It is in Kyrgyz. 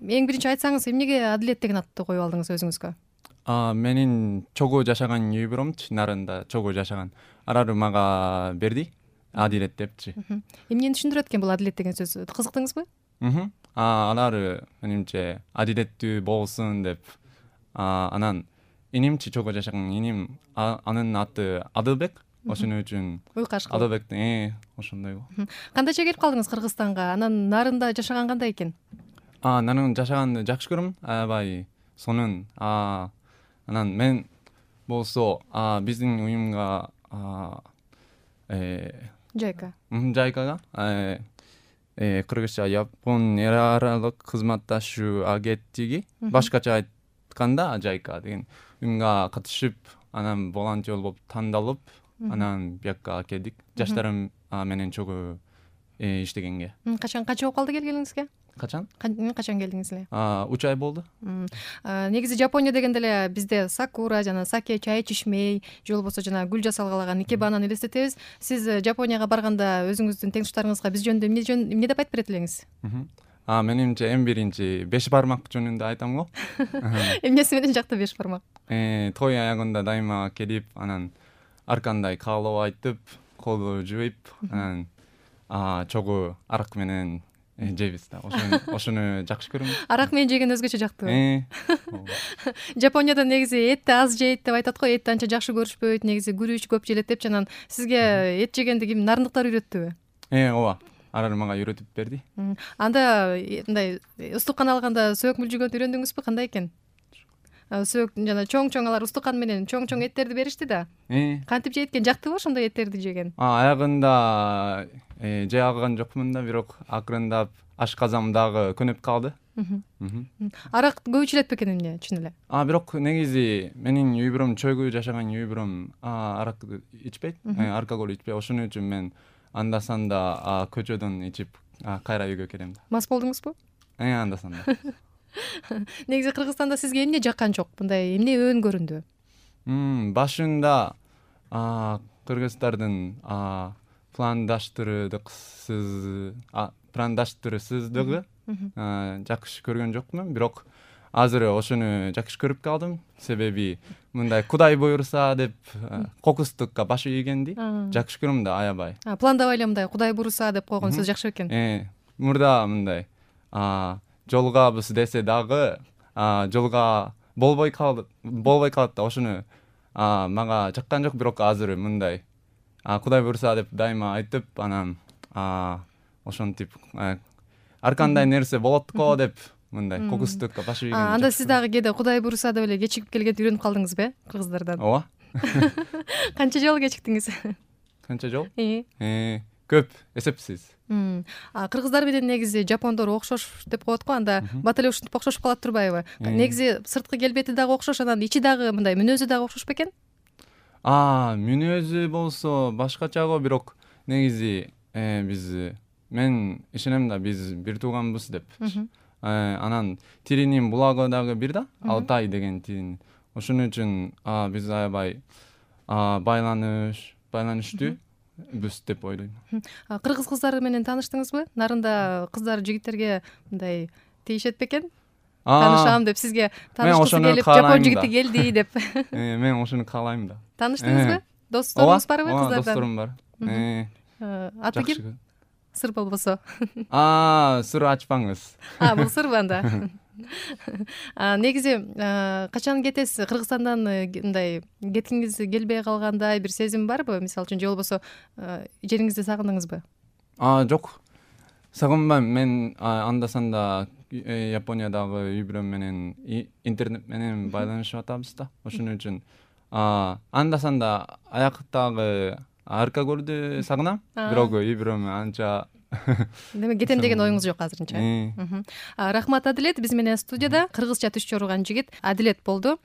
эң биринчи айтсаңыз эмнеге Адилет деген атты коюп алдыңыз өзүңүзгө? Менин чогуу жашаган үй бүлөмчү, нарында чогуу жашаган. Арары мага берди, Адилет депчи. Эмнени түшүндүрөт экен бул Адилет деген сөз? Кызыктыңызбы? Алар менимче адилеттүү болсун деп. Анан инимчи чогуу жашаган иним, анын аты Адылбек. Ошону үчүн Уйкаш кылып. Адылбектин ошондой. Кандайча келип калдыңыз Кыргызстанга? Анан нарында жашаган кандай экен? Нарында жашаганды жакшы көрөм, аябай сонун. Анан мен болсо биздин уюмга Жайкага кыргызча Япон эл аралык кызматташуу агенттиги, башкача айтканда Жайка деген уюмга катышып, анан волонтер болуп тандалып, анан бияка келдик. Жаштарым менен чогуу иштегенге. Качан болуп калды келгениңизге? Качан келдиңиз эле? 3 ай болду. Негизи Жапония дегенде эле бизде сакура жана саке, чай ичишмей, же болбосо жана гүл жасалгалаган икебананы элестетебиз. Сиз Жапонияга барганда өзүңүздүн теңтуштарыңызга биз жөнүндө эмне деп айтып берет элеңиз? Менимче эң биринчи 5 бармак жөнүндө айтам го. Эмнеси менен жакты 5 бармак? Той аягында дайыма келип, анан аркандай каалоо айтып, колду жууп, анан чогуу арак менен жейбиз да. Ошону жакшы көрөм. Арак менен жеген өзгөчө жактыбы? Жапонияда негизи этти аз жейт деп айтат го, этти анча жакшы көрүшпөйт, негизи күрүч көп желет депчи. Анан сизге эт жегенди ким, нарындыктар үйрөттүбү? Ооба. Алар мага үйрөтүп берди. Анда мындай устукан алганда сөөк мүлжүгөндү үйрөндүңүзбү? Кандай экен? Сөөк жана чоң алар устукан менен чоң эттерди беришти да. Кантип жейт экен? Жактыбы ошондой эттерди жеген? Аягында жей алган жокмун да, бирок акырындап ашказамдагы көнүп калды. Арак көп ичилет бекен эмне, чын эле? Бирок негизи менин үй бүлөм, чөйгүү жашаган үй бүлөм арак ичпейт, алкоголь ичпейт. Ошону үчүн мен анда-санда көчөдөн ичип кайра үйгө келем да. Мас болдуңузбу? Анда-санда. Негизи Кыргызстанда сизге эмне жаккан жок? Мындай эмне өөн көрүндү? Башында кыргыздардын пландаштырысыздыгы жакшы көргөн жокмун, бирок азыр ошону жакшы көрүп калдым. Себеби мындай Кудай буйруса деп кокустукка баш ийгенди жакшы көрөм да, аябай. Пландабай эле мындай Кудай буйруса деп койгон сөз жакшы экен. Мурда мындай жолугабыз десе дагы жолго болбой калат да. Ошону мага жаккан жок, бирок азыр мындай Кудай буйруса деп дайыма айтып, анан ошентип ар кандай нерсе болот го деп мындай кокустукка баш ийген. Анда сиз дагы кээде Кудай буйруса деп эле кечигип келгенди үйрөнүп калдыңызбы кыргыздардан? Ооба. Канча жолу кечиктиңиз? Канча жол? Көп, эсепсиз. Кыргыздар менен негизи жапондор окшош деп коет го, анда бат эле ушинтип окшошуп калат турбайбы? Негизи сырткы келбети дагы окшош, анан ичи дагы мындай мүнөзү дагы окшош бекен? Мүнөзү болсо башкача го, бирок негизи мен ишенем да, биз бир тууганбыз деп. Анан тилинин булагы дагы бир да, Алтай деген тилин. Ошону үчүн биз аябай байланыштуу бүс деп ойлойм. Кыргыз кыздары менен тааныштыңызбы? Нарында кыздар жигиттерге мындай тийишет бекен? Таанышам деп, сизге таанышкысы келип, жапон жигити келди деп. Мен ошону каалайм да. Тааныштыңызбы? Досторуңуз барбы кыздардан? Досторум бар. Аты ким? Сыр болбосо. Сыр ачпаңыз. Бул сырбы анда? Негизи качан кетесиз? Кыргызстандан мындай кеткиңиз келбей калгандай бир сезим барбы? Мисалы үчүн, же болбосо жериңизди сагындыңызбы? Жок. Сагынбайм. Мен анда-санда Япониядагы үй бүлөм менен интернет менен байланышып атабыз да. Ошону үчүн анда-санда аяктагы алкоголду сагынам, бирок үй бүлөм анча. Демек кетем деген оюңуз жок азырынча. Рахмат, Адилет. Биз менен студияда кыргызча түш чорулган жигит Адилет болду.